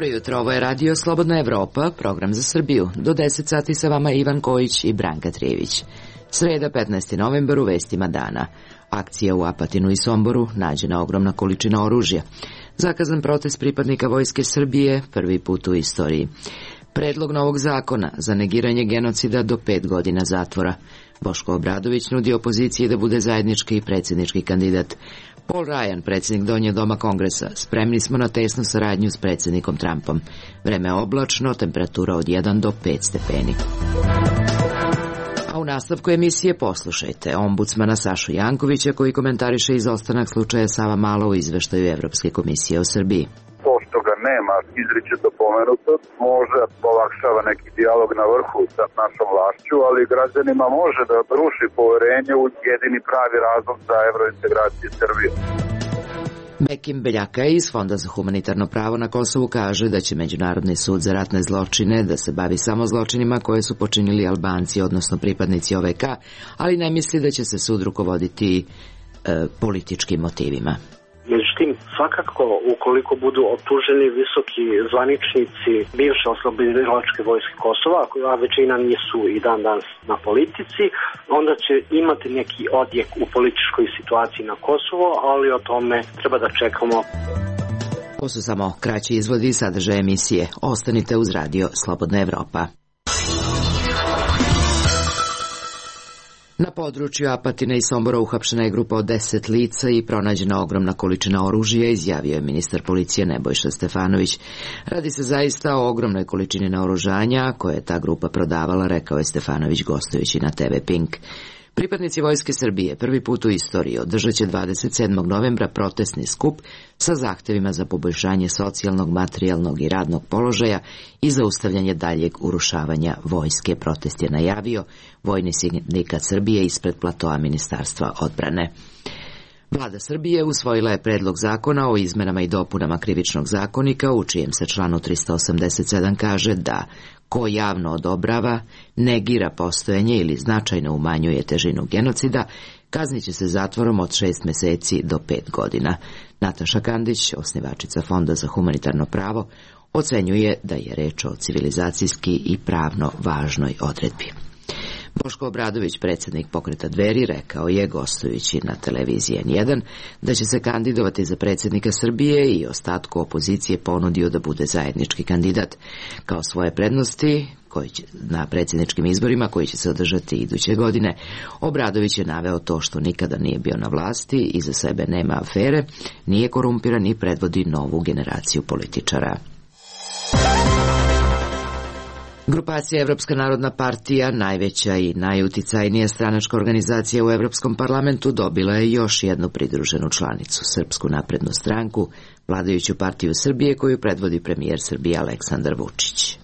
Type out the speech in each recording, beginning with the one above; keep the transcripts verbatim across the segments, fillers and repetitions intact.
Dobro jutro, ovo je Radio Slobodna Evropa, program za Srbiju. Do deset sati sa vama Ivan Kojić i Branka Trijević. Sreda, petnaesti novembar, u vestima dana. Akcija u Apatinu i Somboru, nađena ogromna količina oružja. Zakazan protest pripadnika Vojske Srbije, prvi put u istoriji. Predlog novog zakona za negiranje genocida do pet godina zatvora. Boško Obradović nudi opoziciji da bude zajednički i predsjednički kandidat. Paul Ryan, predsjednik Donjeg doma Kongresa, spremni smo na tesnu saradnju s predsjednikom Trumpom. Vreme oblačno, temperatura od jedan do pet stepeni. A u nastavku emisije poslušajte ombudsmana Sašu Jankovića koji komentariše izostanak slučaja Savamala u izveštaju Evropske komisije o Srbiji. To što ga nema izričito pomenuto može olakšava neki dijalog na vrhu sa našom vlašću, ali građanima može da ruši poverenje u jedini pravi razlog za evrointegracije Srbije. Bekim Beljaka iz Fonda za humanitarno pravo na Kosovu kaže da će Međunarodni sud za ratne zločine da se bavi samo zločinima koje su počinili Albanci, odnosno pripadnici O V K, ali ne misli da će se sud rukovoditi e, političkim motivima. Međutim, svakako, ukoliko budu optuženi visoki zvaničnici bivše oslobodilačke vojske Kosova, a većina nisu i dan danas na politici, onda će imati neki odjek u političkoj situaciji na Kosovo, ali o tome treba da čekamo. Ovo su samo kraći izvodi i sadržaje emisije. Ostanite uz Radio Slobodna Evropa. Na području Apatina i Sombora uhapšena je grupa od deset lica i pronađena ogromna količina oružja, izjavio je ministar policije Nebojša Stefanović. Radi se zaista o ogromnoj količini naoružanja koje je ta grupa prodavala, rekao je Stefanović gostujući na T V Pink. Pripadnici Vojske Srbije prvi put u istoriji održat će dvadeset sedmog novembra protestni skup sa zahtevima za poboljšanje socijalnog, materijalnog i radnog položaja i zaustavljanje daljeg urušavanja vojske. Protest je najavio Vojni sindikat Srbije ispred platoa Ministarstva odbrane. Vlada Srbije usvojila je predlog zakona o izmenama i dopunama Krivičnog zakonika, u čijem se članu trista osamdeset sedam kaže da ko javno odobrava, negira postojanje ili značajno umanjuje težinu genocida, kaznit će se zatvorom od šest meseci do pet godina. Nataša Kandić, osnivačica Fonda za humanitarno pravo, ocenjuje da je reč o civilizacijski i pravno važnoj odredbi. Boško Obradović, predsjednik pokreta Dveri, rekao je, gostujući na televiziji N jedan, da će se kandidovati za predsjednika Srbije i ostatku opozicije ponudio da bude zajednički kandidat. Kao svoje prednosti koji će, na predsjedničkim izborima koji će se održati iduće godine, Obradović je naveo to što nikada nije bio na vlasti, iza sebe nema afere, nije korumpiran i predvodi novu generaciju političara. Grupacija Evropska narodna partija, najveća i najuticajnija stranačka organizacija u Evropskom parlamentu, dobila je još jednu pridruženu članicu, Srpsku naprednu stranku, vladajuću partiju Srbije koju predvodi premijer Srbije Aleksandar Vučić.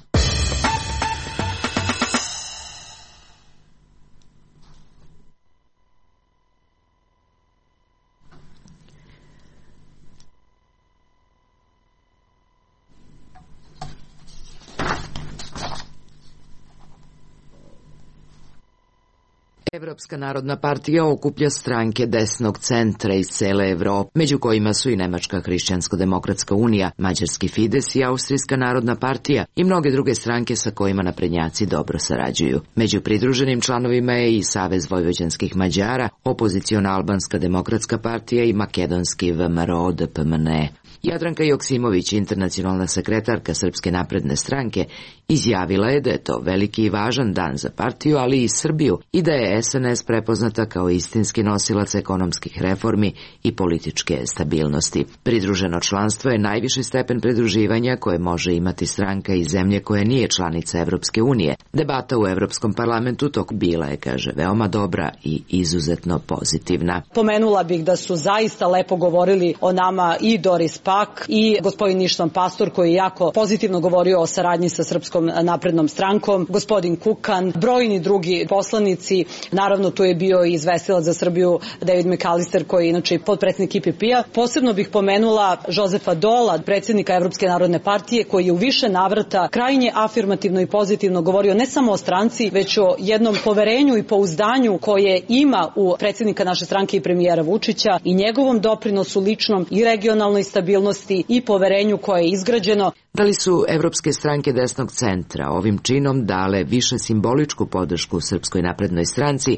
Evropska narodna partija okuplja stranke desnog centra iz cele Evrope, među kojima su i Nemačka hrišćansko-demokratska unija, Mađarski Fides i Austrijska narodna partija i mnoge druge stranke sa kojima naprednjaci dobro sarađuju. Među pridruženim članovima je i Savez vojvođanskih Mađara, opoziciona Albanska demokratska partija i makedonski V M R O D P M N E. Jadranka Joksimović, internacionalna sekretarka Srpske napredne stranke, izjavila je da je to veliki i važan dan za partiju, ali i Srbiju, i da je S N S prepoznata kao istinski nosilac ekonomskih reformi i političke stabilnosti. Pridruženo članstvo je najviši stepen pridruživanja koje može imati stranka iz zemlje koja nije članica Evropske unije. Debata u Evropskom parlamentu tok bila je, kaže, veoma dobra i izuzetno pozitivna. Pomenula bih da su zaista lepo govorili o nama i Doris Pak i gospodin Ištvan Pastor koji je jako pozitivno govorio o saradnji sa Srpskom naprednom strankom, gospodin Kukan, brojni drugi poslanici, naravno tu je bio i izvestilac za Srbiju David McAllister koji je inače potpredsjednik I P P-a. Posebno bih pomenula Jozefa Dola, predsjednika Evropske narodne partije koji je u više navrata krajnje afirmativno i pozitivno govorio ne samo o stranci, već o jednom poverenju i pouzdanju koje ima u predsjednika naše stranke i premijera Vučića i njegovom doprinosu ličnom i regionalnoj stabilnosti stabilnosti i poverenju koje je izgrađeno. Da li su evropske stranke desnog centra ovim činom dale više simboličku podršku Srpskoj naprednoj stranci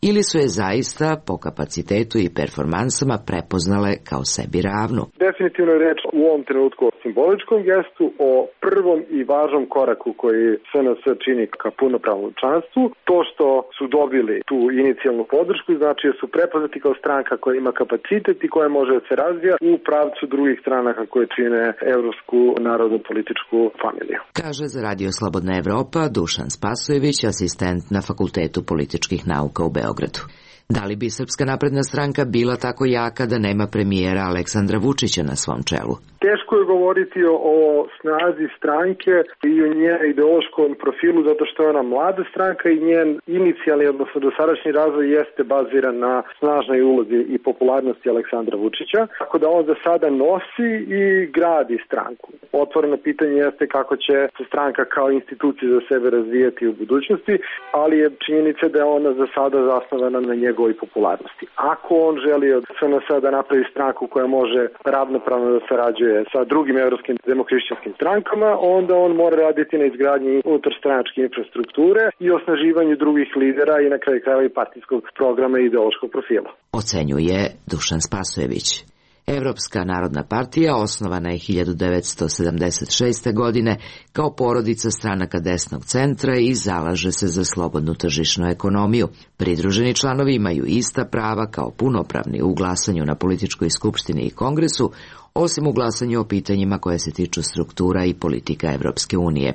ili su je zaista po kapacitetu i performansama prepoznale kao sebi ravnu? Definitivno je reč u ovom trenutku o simboličkom gestu, o prvom i važnom koraku koji S N S čini ka punopravnom članstvu. To što su dobili tu inicijalnu podršku znači da su prepoznati kao stranka koja ima kapacitet i koja može da se razvija u pravcu drugih stranaka koje čine evropsku narodnu političku familiju. Kaže za Radio Slobodna Evropa Dušan Spasojević, asistent na Fakultetu političkih nauka u Beogradu. Da li bi Srpska napredna stranka bila tako jaka da nema premijera Aleksandra Vučića na svom čelu? Teško je govoriti o, o snazi stranke i o njenom ideološkom profilu zato što je ona mlada stranka i njen inicijalni, odnosno dosadašnji razvoj jeste baziran na snažnoj ulozi i popularnosti Aleksandra Vučića, tako da on za sada nosi i gradi stranku. Otvoreno pitanje jeste kako će se stranka kao institucija za sebe razvijati u budućnosti, ali je činjenica da je ona za sada zasnovana na njegovoj popularnosti. Ako on želi od S N S da napravi stranku koja može ravnopravno da sarađuje sa drugim evropskim demohrišćanskim strankama, onda on mora raditi na izgradnji unutarstranačke infrastrukture i osnaživanju drugih lidera i na kraju krajeva i partijskog programa i ideološkog profila. Ocenjuje Dušan Spasojević. Evropska narodna partija osnovana je hiljadu devetsto sedamdeset šeste. godine kao porodica stranaka desnog centra i zalaže se za slobodnu tržišnu ekonomiju. Pridruženi članovi imaju ista prava kao punopravni u glasanju na političkoj skupštini i kongresu, osim u glasanju o pitanjima koje se tiču struktura i politika Evropske unije.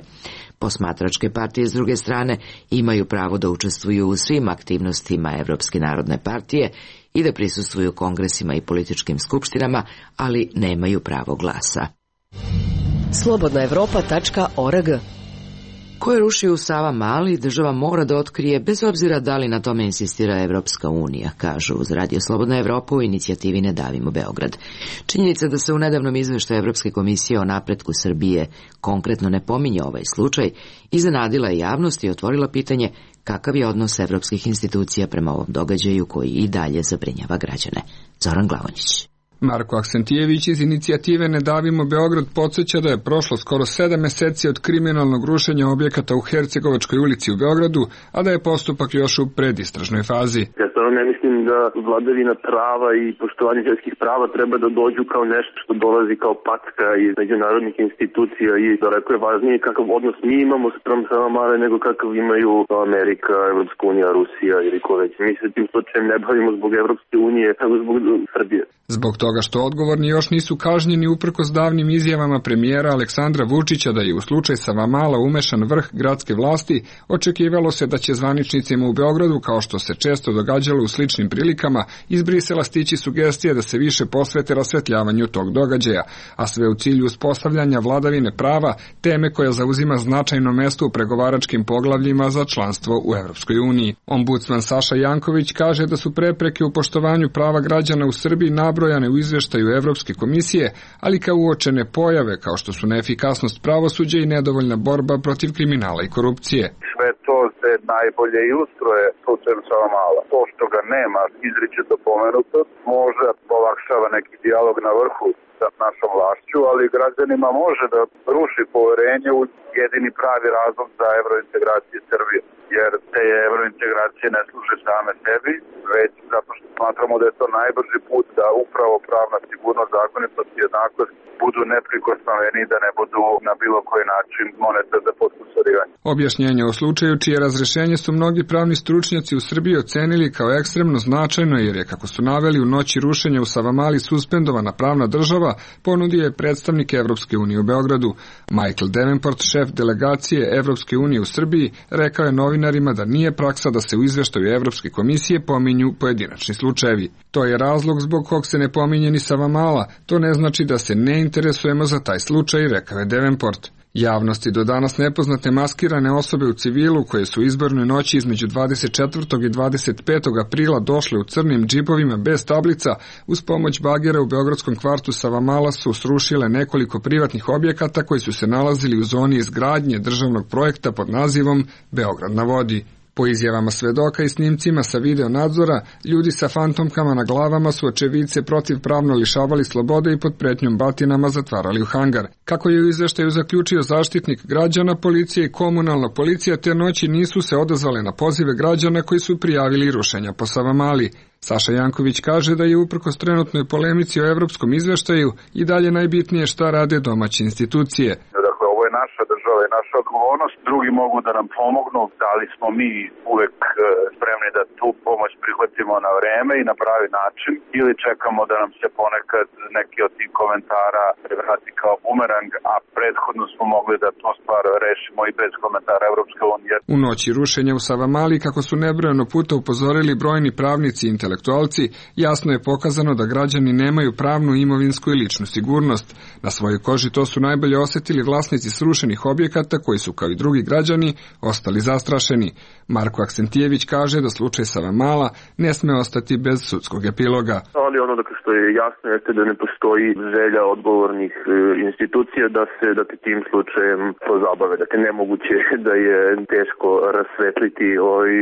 Posmatračke partije, s druge strane, imaju pravo da učestvuju u svim aktivnostima Evropske narodne partije i da prisustvuju kongresima i političkim skupštinama, ali nemaju pravo glasa. slobodna evropa tačka org Ko je rušio u Savamali, država mora da otkrije, bez obzira da li na tome insistira Evropska unija, kažu uz Radio Slobodna Evropa u inicijativi Ne davimo Beograd. Činjenica da se u nedavnom izveštaju Evropske komisije o napretku Srbije konkretno ne pominje ovaj slučaj, iznenadila je javnost i otvorila pitanje kakav je odnos evropskih institucija prema ovom događaju koji i dalje zabrinjava građane. Zoran Glavonjić. Marko Aksentijević iz inicijative Ne davimo Beograd podsjeća da je prošlo skoro sedam meseci od kriminalnog rušenja objekata u Hercegovačkoj ulici u Beogradu, a da je postupak još u predistražnoj fazi. Ja stvarno ne mislim da vladavina prava i poštovanje ljudskih prava treba da dođu kao nešto što dolazi kao packa iz međunarodnih institucija i daleko je važnije kakav odnos mi imamo sprem Savamale nego kakav imaju Amerika, Evropska unija, Rusija ili ko već. Mi se tim slučajem ne bavimo zbog Evropske unije, nego zbog Srbije. Zbog toga što odgovorni još nisu kažnjeni uprkos davnim izjavama premijera Aleksandra Vučića da je u slučaj Savamala umešan vrh gradske vlasti, očekivalo se da će zvaničnicima u Beogradu, kao što se često događalo u sličnim prilikama, iz Brisela stići sugestije da se više posvete rasvetljavanju tog događaja, a sve u cilju uspostavljanja vladavine prava, teme koja zauzima značajno mesto u pregovaračkim poglavljima za članstvo u Evropskoj uniji. Ombudsman Saša Janković kaže da su prepreke u poštovanju prava građana u Srbiji nabrojane u izveštaju Evropske komisije, ali kao uočene pojave kao što su neefikasnost pravosuđa i nedovoljna borba protiv kriminala i korupcije. Sve to se najbolje ilustruje slučajem Savamala. To što ga nema izričito pomenuto možda olakšava neki dijalog na vrhu sa našom vlašću, ali građanima može da ruši poverenje u jedini pravi razlog za evrointegracije Srbije. Jer te evrointegracije ne služe same sebi, već zato što smatramo da je to najbrži put da upravo pravna sigurnost, zakonitost i jednakost budu neprikosnoveni i da ne budu na bilo koji način moneta za potkusarivanje. Objašnjenje o slučaju, čije razrešenje su mnogi pravni stručnjaci u Srbiji ocenili kao ekstremno značajno, jer je, kako su naveli, u noći rušenja u Savamali suspendovana pravna država, ponudio je predstavnik Evropske unije u Beogradu. Michael Davenport, šef delegacije Evropske unije u Srbiji, rekao je novinarima da nije praksa da se u izveštaju Evropske komisije pominju pojedinačni slučajevi. To je razlog zbog kog se ne pominje ni Savamala. To ne znači da se ne interesujemo za taj slučaj, rekao je Davenport. Javnosti do danas nepoznate maskirane osobe u civilu koje su u izbornoj noći između dvadeset četvrtog i dvadeset petog aprila došle u crnim džipovima bez tablica, uz pomoć bagera u beogradskom kvartu Savamala su srušile nekoliko privatnih objekata koji su se nalazili u zoni izgradnje državnog projekta pod nazivom Beograd na vodi. Po izjavama svedoka i snimcima sa video nadzora, ljudi sa fantomkama na glavama su očevidce protivpravno lišavali slobode i pod pretnjom batinama zatvarali u hangar. Kako je u izveštaju zaključio zaštitnik građana, policija i komunalna policija te noći nisu se odazvale na pozive građana koji su prijavili rušenja po Savamali. Saša Janković kaže da je uprkos trenutnoj polemici o evropskom izveštaju i dalje najbitnije šta rade domaće institucije. Naša država je naša odgovornost, drugi mogu da nam pomognu, da li smo mi uvek spremni da tu pomoć prihvatimo na vreme i na pravi način ili čekamo da nam se ponekad neki od tih komentara vrati kao bumerang, a prethodno smo mogli da to stvar rešimo i bez komentara Evropske unije. U noći rušenja u Savamali, kako su nebrojeno puta upozorili brojni pravnici i intelektualci, jasno je pokazano da građani nemaju pravnu, imovinsku i ličnu sigurnost. Na svojoj koži to su najbolje osetili vlasnici srušenih objekata koji su, kao i drugi građani, ostali zastrašeni. Marko Aksentijević kaže da slučaj Savamala ne sme ostati bez sudskog epiloga. Ali ono dakle što je jasno jeste da ne postoji želja odgovornih e, institucija da se da te tim slučajem pozabave. Dakle, nemoguće da je teško rasvetliti ovaj,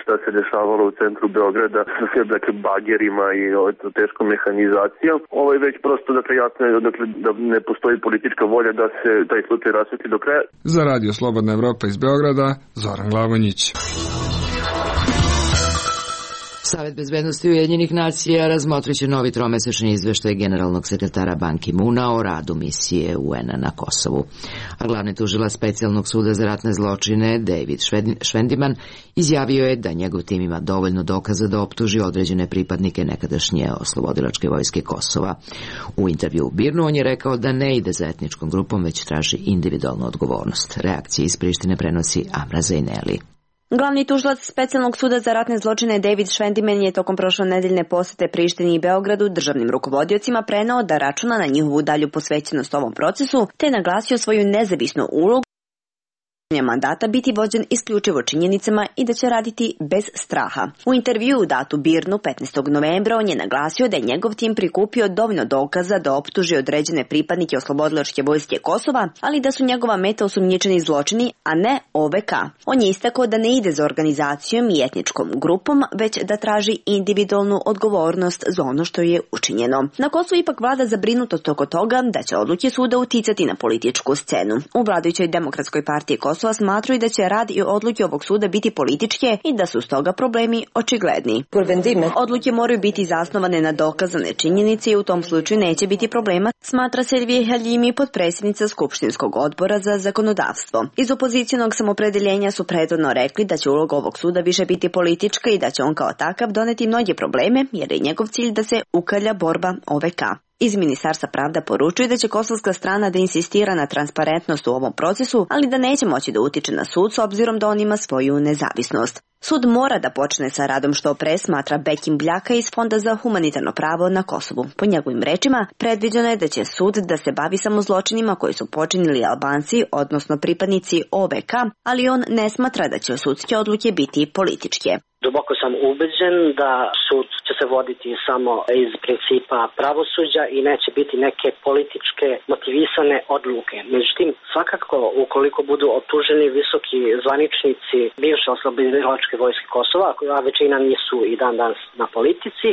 šta se dešavalo u centru Beograda sa sve dakle, bagerima i ovaj, teškom mehanizacijom. Ovo je već prosto dakle, jasno je dakle, da ne postoji politička volja da se taj slučaj rasvetli do kraja. Za Radio Slobodna Evropa iz Beograda, Zoran Glavonjić. Savet bezbednosti Ujedinjenih nacija razmotrit će novi tromesečni izveštaj generalnog sekretara Ban Ki-muna o radu misije U N-a na Kosovu. A glavni tužilac Specijalnog suda za ratne zločine David Švendiman izjavio je da njegov tim ima dovoljno dokaza da optuži određene pripadnike nekadašnje oslobodilačke vojske Kosova. U intervju u Birnu on je rekao da ne ide za etničkom grupom, već traži individualnu odgovornost. Reakcije iz Prištine prenosi Amra Zejneli. Glavni tužilac Specijalnog suda za ratne zločine David Švendiman je tokom prošlonedeljne posete Prištini i Beogradu državnim rukovodiocima preneo da računa na njihovu dalju posvećenost ovom procesu, te naglasio svoju nezavisnu ulogu mandata biti vođen isključivo činjenicama i da će raditi bez straha. U intervjuu datu Birnu petnaestog novembra on je naglasio da je njegov tim prikupio dovoljno dokaza da optuži određene pripadnike oslobodilačke vojske Kosova, ali da su njegova meta osumnjičeni zločini, a ne O V K. On je istakao da ne ide za organizacijom i etničkom grupom, već da traži individualnu odgovornost za ono što je učinjeno. Na Kosovu ipak vlada zabrinutost oko toga da će odluke suda uticati na političku scenu. U vladajućoj Demokratskoj partiji Kosova smatraju da će rad i odluke ovog suda biti političke i da su stoga problemi očigledni. Odluke moraju biti zasnovane na dokazane činjenice i u tom slučaju neće biti problema, smatra Selvije Haljimi, potpredsjednica Skupštinskog odbora za zakonodavstvo. Iz opozicionog samopredeljenja su prethodno rekli da će uloga ovog suda više biti politička i da će on kao takav doneti mnoge probleme, jer je njegov cilj da se ukalja borba O V K. Iz Ministarstva pravda poručuju da će kosovska strana da insistira na transparentnost u ovom procesu, ali da neće moći da utiče na sud s obzirom da on ima svoju nezavisnost. Sud mora da počne sa radom što pre, smatra Bekim Bljaka iz Fonda za humanitarno pravo na Kosovu. Po njegovim rečima, predviđeno je da će sud da se bavi samo zločinima koji su počinili Albanci, odnosno pripadnici O V K, ali on ne smatra da će sudske odluke biti političke. Duboko sam ubeđen da sud će se voditi samo iz principa pravosuđa i neće biti neke političke motivisane odluke. Međutim, svakako ukoliko budu optuženi visoki zvaničnici bivše oslobodilačke vojske Kosova, a većina nisu i dan danas na politici,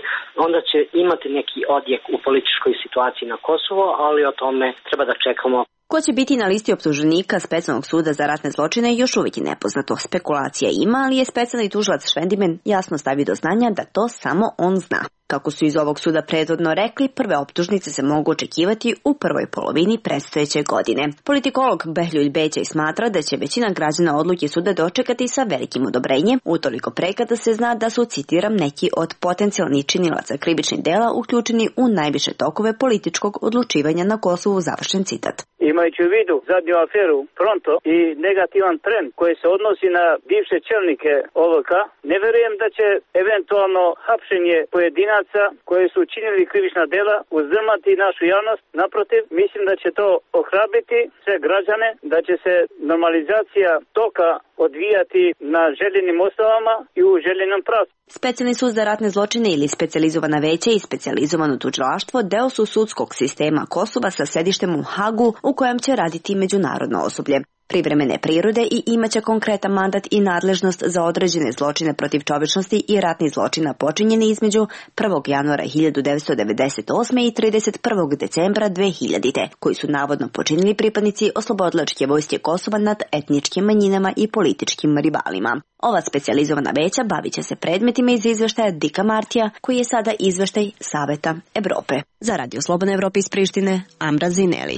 onda će imati neki odjek u političkoj situaciji na Kosovo, ali o tome treba da čekamo. Ko će biti na listi optuženika Specijalnog suda za ratne zločine još uvijek je nepoznato. Spekulacija ima, ali je specijalni tužilac Švendiman jasno stavio do znanja da to samo on zna. Kako su iz ovog suda prethodno rekli, prve optužnice se mogu očekivati u prvoj polovini predstojeće godine. Politikolog Behljuj Bećaj smatra da će većina građana odluke suda dočekati sa velikim odobrenjem, utoliko pre kada se zna da su, citiram, neki od potencijalnih činilaca krivičnih dela uključeni u najviše tokove političkog odlučivanja na Kosovu, završen citat. Imajući u vidu zadnju aferu Pronto i negativan trend koji se odnosi na bivše čelnike O V K, ne verujem da će eventualno hapšenje pojedinaca koji su učinili krivična dela uzdrmati našu javnost. Naprotiv, mislim da će to ohrabriti sve građane, da će se normalizacija toka odvijati na željenim osnovama i u željenom pravcu. Specijalni sud za ratne zločine ili specijalizovana veća i specijalizovano tužilaštvo deo su sudskog sistema Kosova sa sedištem u Hagu u kojem će raditi međunarodno osoblje. privremene prirode i imaće konkretan mandat i nadležnost za određene zločine protiv čovečnosti i ratni zločina počinjeni između prvog januara hiljadu devetsto devedeset osme i trideset prvog decembra dve hiljadite, koji su navodno počinili pripadnici Oslobodilačke vojske Kosova nad etničkim manjinama i političkim rivalima. Ova specijalizovana veća bavit će se predmetima iz izveštaja Dika Martija, koji je sada izveštaj Saveta Evrope. Za Radio Slobodna Evropa iz Prištine, Amra Zineli.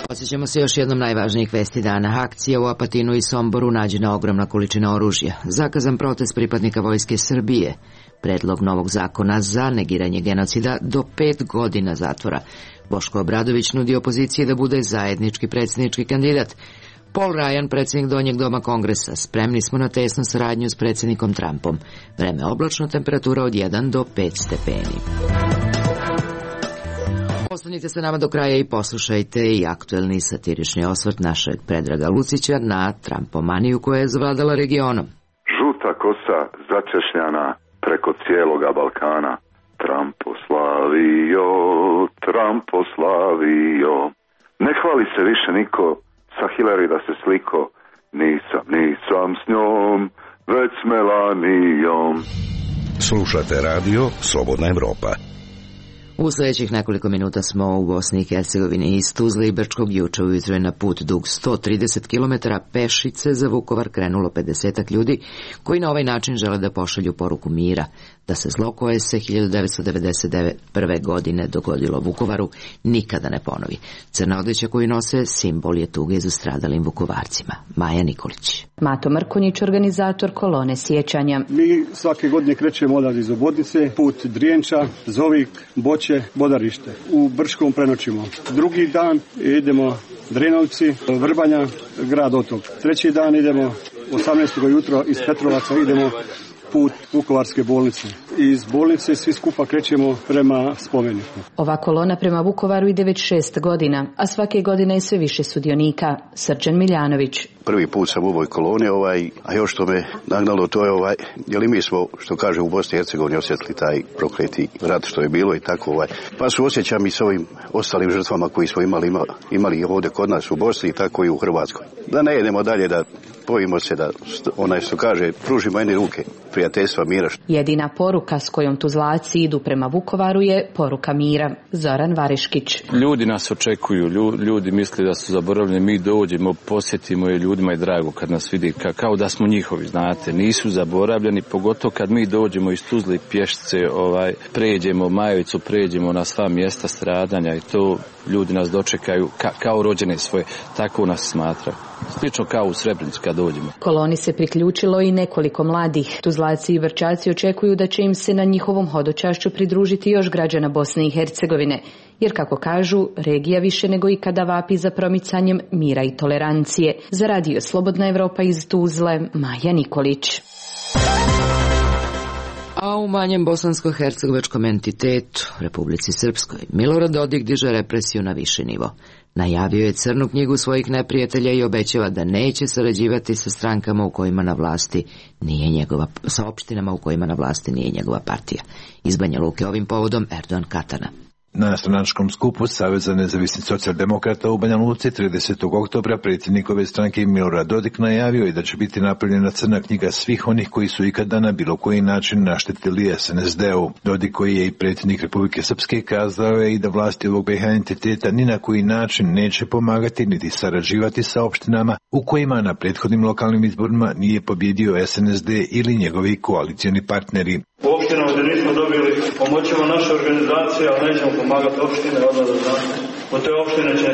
Posjećamo se još jednom najvažnijih vesti dana. Akcija u Apatinu i Somboru, nađena ogromna količina oružja. Zakazan protest pripadnika Vojske Srbije. Predlog novog zakona za negiranje genocida do pet godina zatvora. Boško Obradović nudi opoziciji da bude zajednički predsjednički kandidat. Paul Ryan, predsjednik Donjeg doma Kongresa. Spremni smo na tesnu saradnju s predsjednikom Trumpom. Vreme oblačno, temperatura od jedan do pet stepeni. Ostanite sa nama do kraja i poslušajte i aktuelni satirični osvrt našeg Predraga Lucića na Trumpomaniju koja je zavladala regionom. Žuta kosa začešljana preko cijeloga Balkana. Trumposlavio, Trumposlavio. Ne hvali se više niko sa Hillary da se sliko. Nisam, nisam s njom, već s Melanijom. Slušate radio Slobodna Evropa. U sljedećih nekoliko minuta smo u Bosni i Hercegovini. Iz Tuzle i Brčkog juče ujutro je na put dug sto trideset kilometara pešice za Vukovar krenulo pedesetak ljudi koji na ovaj način žele da pošalju poruku mira, da se zlo koje se hiljadu devetsto devedeset prve. godine dogodilo Vukovaru nikada ne ponovi. Crna odeća koju nose simbol je tuge za stradalim Vukovarcima. Maja Nikolić. Mato Mrkonjić, organizator kolone sjećanja. Mi svake godine krećemo odavde iz Obodnice, put Drijenča, Zovik, Boće, Bodarište. U Brčkom prenoćimo. Drugi dan idemo Drenovci, Vrbanja, grad Otok. Treći dan idemo osamnaestog jutro iz Petrovaca idemo put Vukovarske bolnice. Iz bolnice svi skupa krećemo prema spomeniku. Ova kolona prema Vukovaru ide već šest godina, a svake godine je sve više sudionika. Srđan Miljanović. Prvi put sam u ovoj koloni, ovaj, a još što me nagnalo to je ovaj, jer i mi smo, što kaže, u Bosni i Hercegovini osjetili taj prokleti rat što je bilo i tako ovaj. Pa su osjećam i s ovim ostalim žrtvama koji smo imali, ima, imali ovdje kod nas u Bosni i tako i u Hrvatskoj. Da ne idemo dalje, da bojimo se da onaj što kaže, pružimo jedne ruke prijateljstva, mira. Jedina poruka s kojom Tuzlaci idu prema Vukovaru je poruka mira. Zoran Variškić. Ljudi nas očekuju, ljudi misle da su zaboravljeni, mi dođemo, posjetimo je, ljudima je drago kad nas vidi, ka, kao da smo njihovi, znate, nisu zaboravljeni, pogotovo kad mi dođemo iz Tuzle pješice, ovaj, pređemo Majevicu, pređemo na sva mjesta stradanja i to ljudi nas dočekaju ka, kao rođene svoje, tako nas smatraju. Slično kao u Srebrenicu kad dođemo. Koloni se priključilo i nekoliko mladih. Tuzlaci i Vrčaci očekuju da će im se na njihovom hodočašću pridružiti još građana Bosne i Hercegovine, jer kako kažu, regija više nego ikada vapi za promicanjem mira i tolerancije. Za Radio Slobodna Evropa iz Tuzle, Maja Nikolić. A u manjem bosansko-hercegovačkom entitetu, Republici Srpskoj, Milorad Dodik diže represiju na viši nivo. Najavio je crnu knjigu svojih neprijatelja i obećava da neće sarađivati sa strankama u kojima na vlasti nije njegova, sa opštinama u kojima na vlasti nije njegova partija. Iz Banja Luke ovim povodom Erdogan Katana. Na stranačkom skupu Saveza nezavisnih socijaldemokrata u Banja Luci tridesetog oktobra predsjednikove stranke Milorad Dodik najavio i da će biti napravljena crna knjiga svih onih koji su ikada na bilo koji način naštetili es en es de u. Dodik, koji je i predsjednik Republike Srpske, kazao je i da vlasti ovog be ha entiteta ni na koji način neće pomagati niti sarađivati sa opštinama u kojima na prethodnim lokalnim izborima nije pobjedio es en es de ili njegovi koalicijani partneri. U opštinama gdje nismo dobili pomoćemo naše organizacije, ali nećemo pomagati opštine, odmah da znate. U te opštine će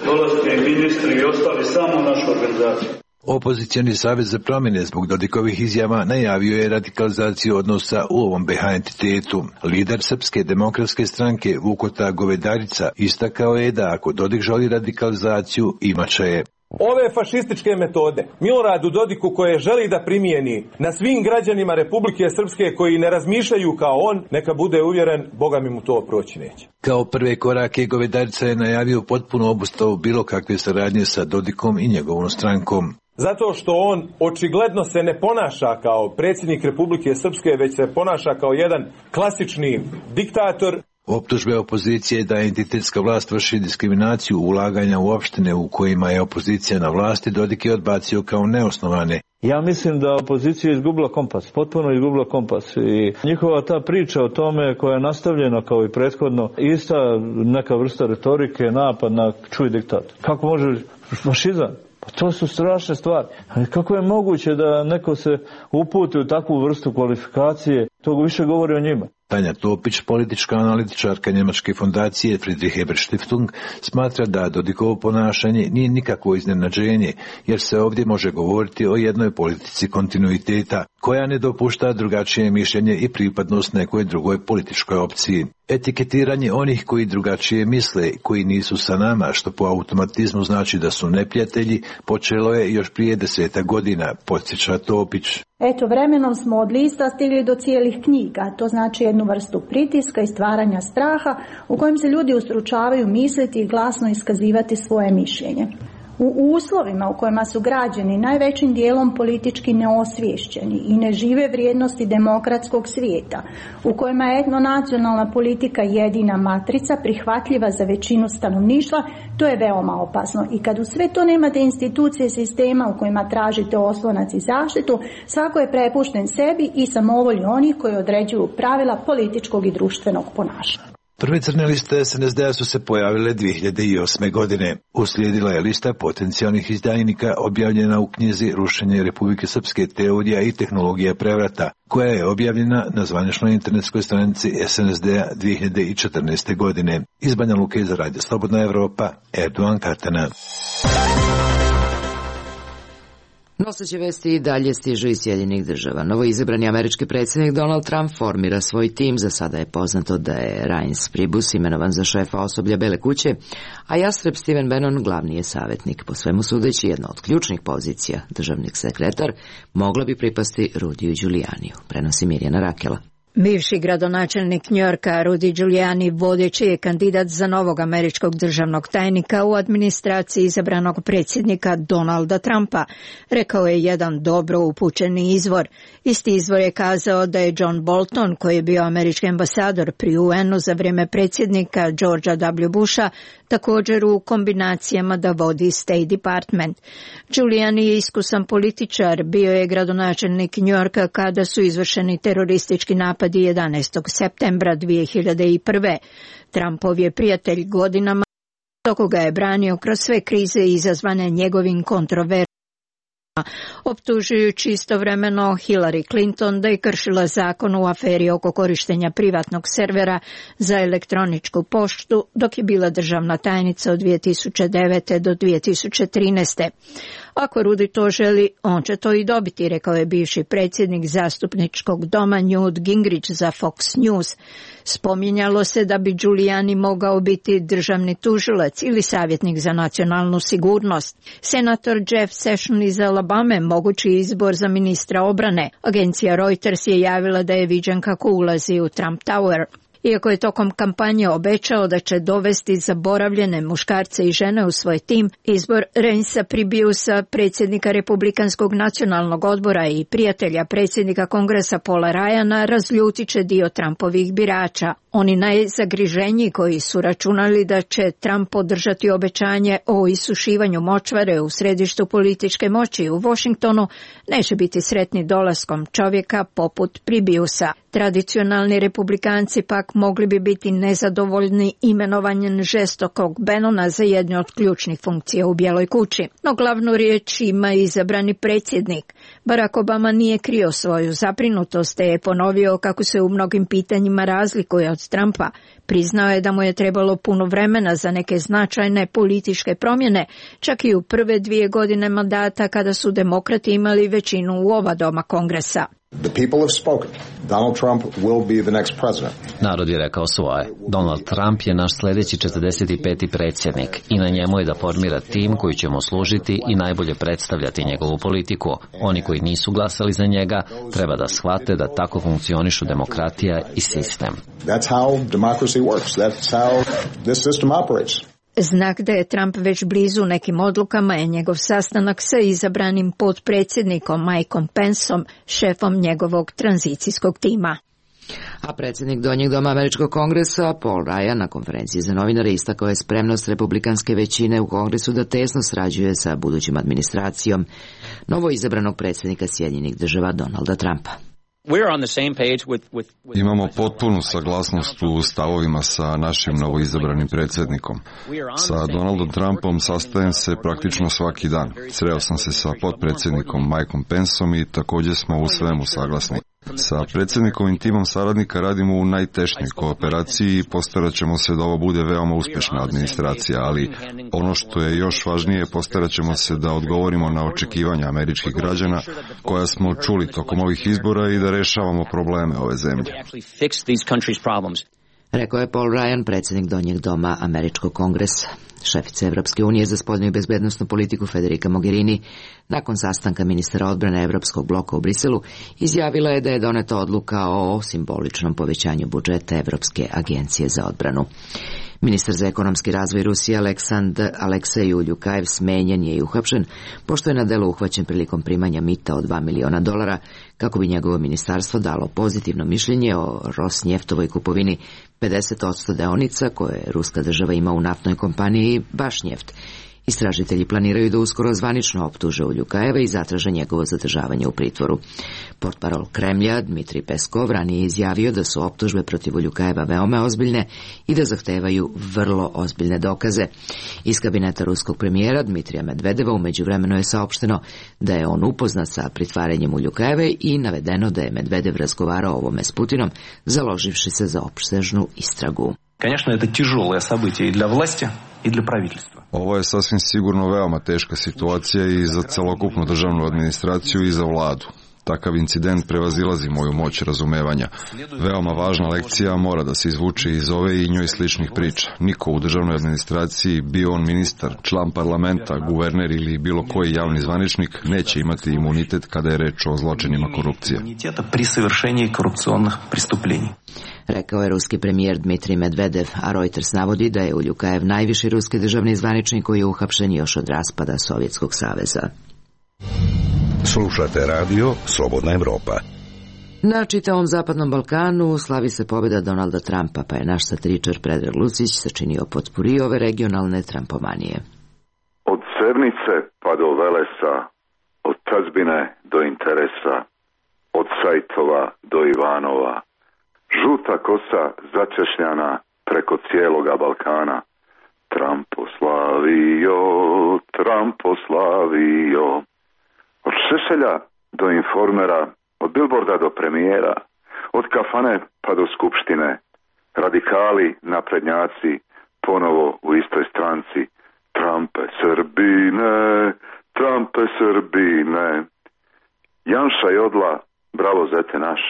dolaziti ministri i ostali samo našu organizaciju. Opozicijani savez za promjene zbog Dodikovih izjava najavio je radikalizaciju odnosa u ovom be ha entitetu. Lider Srpske demokratske stranke Vukota Govedarica istakao je da ako Dodik želi radikalizaciju, imaće je. Ove fašističke metode Miloradu Dodiku koje želi da primijeni na svim građanima Republike Srpske koji ne razmišljaju kao on, neka bude uvjeren, Boga mi mu to proći neće. Kao prve korake Govedarica je najavio potpuno obustavu bilo kakve saradnje sa Dodikom i njegovom strankom. Zato što on očigledno se ne ponaša kao predsjednik Republike Srpske, već se ponaša kao jedan klasični diktator. Optužbe opozicije da entitetska vlast vrši diskriminaciju ulaganja u opštine u kojima je opozicija na vlasti Dodik je odbacio kao neosnovane. Ja mislim da opozicija je izgubila kompas, potpuno izgubila kompas i njihova ta priča o tome koja je nastavljena kao i prethodno, ista neka vrsta retorike, napad na čuj diktat. Kako može fašizam? Pa to su strašne stvari. Kako je moguće da neko se uputi u takvu vrstu kvalifikacije? To više govori o njima. Tanja Topić, politička analitičarka njemačke fondacije Friedrich Ebert Stiftung, smatra da Dodikovo ponašanje nije nikakvo iznenađenje, jer se ovdje može govoriti o jednoj politici kontinuiteta, koja ne dopušta drugačije mišljenje i pripadnost nekoj drugoj političkoj opciji. Etiketiranje onih koji drugačije misle, koji nisu sa nama, što po automatizmu znači da su neprijatelji, počelo je još prije deseta godina, podsjeća Topić. Eto, vremenom smo od lista stigli do cijelih knjiga, to znači jednu vrstu pritiska i stvaranja straha u kojem se ljudi ustručavaju misliti i glasno iskazivati svoje mišljenje. U uslovima u kojima su građani najvećim dijelom politički neosviješćeni i ne žive vrijednosti demokratskog svijeta, u kojima je etnonacionalna politika jedina matrica prihvatljiva za većinu stanovništva, to je veoma opasno. I kad u sve to nemate institucije sistema u kojima tražite oslonac i zaštitu, svako je prepušten sebi i samovolji onih koji određuju pravila političkog i društvenog ponašanja. Prve crne liste es en es de a su se pojavile dvije hiljade osme. godine. Uslijedila je lista potencijalnih izdajnika objavljena u knjizi Rušenje Republike Srpske, teorija i tehnologija prevrata, koja je objavljena na zvaničnoj internetskoj stranici es en es de a dvije hiljade četrnaeste. godine. Iz Banja Luke za Radio Slobodna Evropa, Erdogan Katana. Noseće vesti i dalje stižu iz Sjedinjenih država. Novoizabrani američki predsjednik Donald Trump formira svoj tim. Za sada je poznato da je Reince Priebus imenovan za šefa osoblja Bele kuće, a jastreb Stephen Bannon glavni je savjetnik. Po svemu sudeći, jedna od ključnih pozicija, državni sekretar, mogla bi pripasti Rudiju Giulianiju. Prenosi Mirjana Rakela. Bivši gradonačelnik Njujorka Rudy Giuliani vodeći je kandidat za novog američkog državnog tajnika u administraciji izabranog predsjednika Donalda Trumpa, rekao je jedan dobro upućeni izvor. Isti izvor je kazao da je John Bolton, koji je bio američki ambasador pri u en u za vrijeme predsjednika Georgea W. Busha, također u kombinacijama da vodi State Department. Giuliani je iskusan političar, bio je gradonačelnik Njujorka kada su izvršeni teroristički napadi jedanaestog septembra dvije hiljade prve. Trumpov je prijatelj godinama, dok ga je branio kroz sve krize izazvane njegovim kontroverzama, optužujući istovremeno Hillary Clinton da je kršila zakon u aferi oko korištenja privatnog servera za elektroničku poštu dok je bila državna tajnica od dvije tisuće devete. do dvije tisuće trinaeste. Ako Rudy to želi, on će to i dobiti, rekao je bivši predsjednik zastupničkog doma Newt Gingrich za Fox News. Spominjalo se da bi Giuliani mogao biti državni tužilac ili savjetnik za nacionalnu sigurnost. Senator Jeff Sessions iz Alabame mogući izbor za ministra obrane. Agencija Reuters je javila da je viđen kako ulazi u Trump Tower. Iako je tokom kampanje obećao da će dovesti zaboravljene muškarce i žene u svoj tim, izbor Reincea Priebusa, predsjednika Republikanskog nacionalnog odbora i prijatelja predsjednika Kongresa Paula Ryana, razljutit će dio Trumpovih birača. Oni najzagriženiji koji su računali da će Trump podržati obećanje o isušivanju močvare u središtu političke moći u Washingtonu, neće biti sretni dolaskom čovjeka poput Priebusa. Tradicionalni republikanci pak mogli bi biti nezadovoljni imenovanjem žestokog Bannona za jednu od ključnih funkcija u Bijeloj kući. No glavnu riječ ima izabrani predsjednik. Barack Obama nije krio svoju zabrinutost, te je ponovio kako se u mnogim pitanjima razlikuje od Trumpa. Priznao je da mu je trebalo puno vremena za neke značajne političke promjene, čak i u prve dvije godine mandata kada su demokrati imali većinu u oba doma Kongresa. The people have spoken. Donald Trump will be the next president. Narod je rekao svoje. Donald Trump je naš sljedeći četrdeset peti predsjednik i na njemu je da formira tim koji će mu služiti i najbolje predstavljati njegovu politiku. Oni koji nisu glasali za njega treba da shvate da tako funkcionišu demokratija i sistem. That's how democracy works. That's how this system operates. Znak da je Trump već blizu nekim odlukama je njegov sastanak sa izabranim potpredsjednikom Mikeom Penceom, šefom njegovog tranzicijskog tima. A predsjednik Donjeg doma Američkog kongresa Paul Ryan na konferenciji za novinare istakao je spremnost republikanske većine u kongresu da tesno sarađuje sa budućim administracijom novo izabranog predsjednika Sjedinjenih država Donalda Trumpa. Imamo potpunu saglasnost u stavovima sa našim novoizabranim predsjednikom. Sa Donaldom Trumpom sastajem se praktično svaki dan. Sreo sam se sa potpredsjednikom Mikeom Penceom i također smo u svemu saglasni. Sa predsjednikovim timom saradnika radimo u najtešnjoj kooperaciji i postarat ćemo se da ovo bude veoma uspješna administracija, ali ono što je još važnije, postarat ćemo se da odgovorimo na očekivanja američkih građana koja smo čuli tokom ovih izbora i da rešavamo probleme ove zemlje. Rekao je Paul Ryan, predsjednik Donjeg doma Američkog kongresa. Šefica Evropske unije za spoljnu i bezbednosnu politiku Federica Mogherini, nakon sastanka ministara odbrane Evropskog bloka u Briselu, izjavila je da je doneta odluka o simboličnom povećanju budžeta Evropske agencije za odbranu. Ministar za ekonomski razvoj Rusije Aleksandr Aleksej Uljukajev smenjen je i uhapšen, pošto je na delu uhvaćen prilikom primanja mita od dva miliona dolara, kako bi njegovo ministarstvo dalo pozitivno mišljenje o Rosnjeftovoj kupovini pedeset posto deonica koje ruska država ima u naftnoj kompaniji Bašnjeft. Istražitelji planiraju da uskoro zvanično optuže Uljukajeva i zatraže njegovo zadržavanje u pritvoru. Portparol Kremlja Dmitrij Peskov ranije izjavio da su optužbe protiv Uljukajeva veoma ozbiljne i da zahtevaju vrlo ozbiljne dokaze. Iz kabineta ruskog premijera Dmitrija Medvedeva u međuvremenu je saopšteno da je on upoznat sa pritvaranjem Uljukajeve i navedeno da je Medvedev razgovarao o ovome s Putinom, založivši se za opsežnu istragu. Конечно, это тяжелое событие и для власти, и для правительства. Ovo je sasvim sigurno veoma teška situacija i za celokupnu državnu administraciju i za vladu. Takav incident prevazilazi moju moć razumevanja. Veoma važna lekcija mora da se izvuče iz ove i njoj sličnih priča. Niko u državnoj administraciji, bio on ministar, član parlamenta, guverner ili bilo koji javni zvaničnik, neće imati imunitet kada je reč o zločinima korupcije. Rekao je ruski premijer Dmitrij Medvedev, a Reuters navodi da je Uljukajev najviši ruski državni zvaničnik koji je uhapšen još od raspada Sovjetskog saveza. Slušate radio Slobodna Evropa. Na čitavom zapadnom Balkanu slavi se pobjeda Donalda Trumpa, pa je naš satiričar Predrag Lucić sačinio potpuri ove regionalne trampomanije. Od Sevnice pa do Velesa, od tazbine do interesa, od Sajtova do Ivanova, žuta kosa začešljana preko cijeloga Balkana. Trumpo slavio, Trumpo slavio. Od Šešelja do Informera, od Billboarda do premijera, od kafane pa do skupštine, radikali, naprednjaci, ponovo u istoj stranci. Trumpe Srbine, Trumpe Srbine. Janša Jodla, bravo zete naš.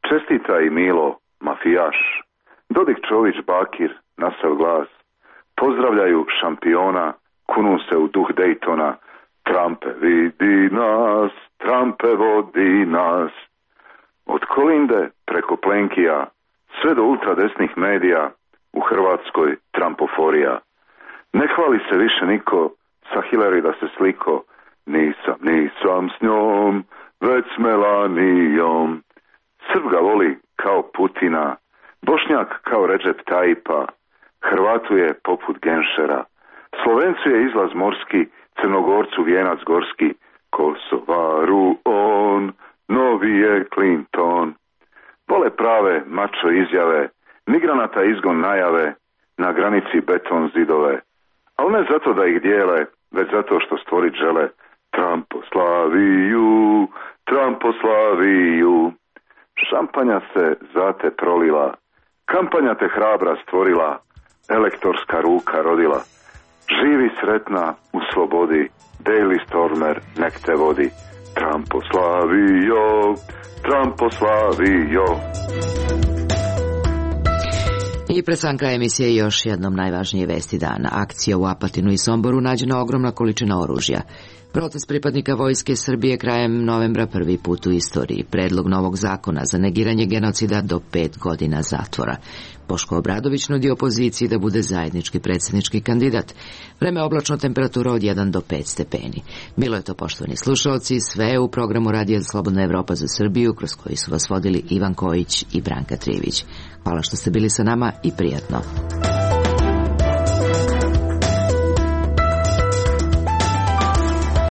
Čestita i Milo, mafijaš. Dodik Čović, Bakir, nasav glas. Pozdravljaju šampiona, kunu se u duh Daytona. Trumpe vidi nas, Trumpe vodi nas. Od Kolinde preko Plenkija, sve do ultradesnih medija, u Hrvatskoj Trumpoforija. Ne hvali se više niko, sa Hillary da se sliko, nisam, nisam s njom, već s Melanijom. Srb ga voli kao Putina, Bošnjak kao Recep Tayyipa, Hrvatu je poput Genšera, Slovencu je izlaz morski, Crnogorcu vijenac gorski, Kosovaru on, novi je Clinton. Vole prave mačo izjave, migranata izgon najave, na granici beton zidove. Ali ne zato da ih dijele, već zato što stvorit žele. Trumpo slaviju, Trumpo slaviju. Šampanja se zate prolila, kampanja te hrabra stvorila, elektorska ruka rodila. Živi sretna u slobodi, Daily Stormer nek te vodi. Trumpo slavio, Trumpo slavio. I pred sam kraj emisije još jednom najvažnije vesti dana. Akcija u Apatinu i Somboru nađena ogromna količina oružja. Protest pripadnika Vojske Srbije krajem novembra prvi put u istoriji. Predlog novog zakona za negiranje genocida do pet godina zatvora. Boško Obradović nudi opoziciji da bude zajednički predsjednički kandidat. Vreme oblačno, temperatura od jedan do pet stepeni. Bilo je to, poštovani slušalci, sve u programu Radija Slobodna Evropa za Srbiju, kroz koji su vas vodili Ivan Kojić i Branka Trivić. Hvala što ste bili sa nama i prijatno.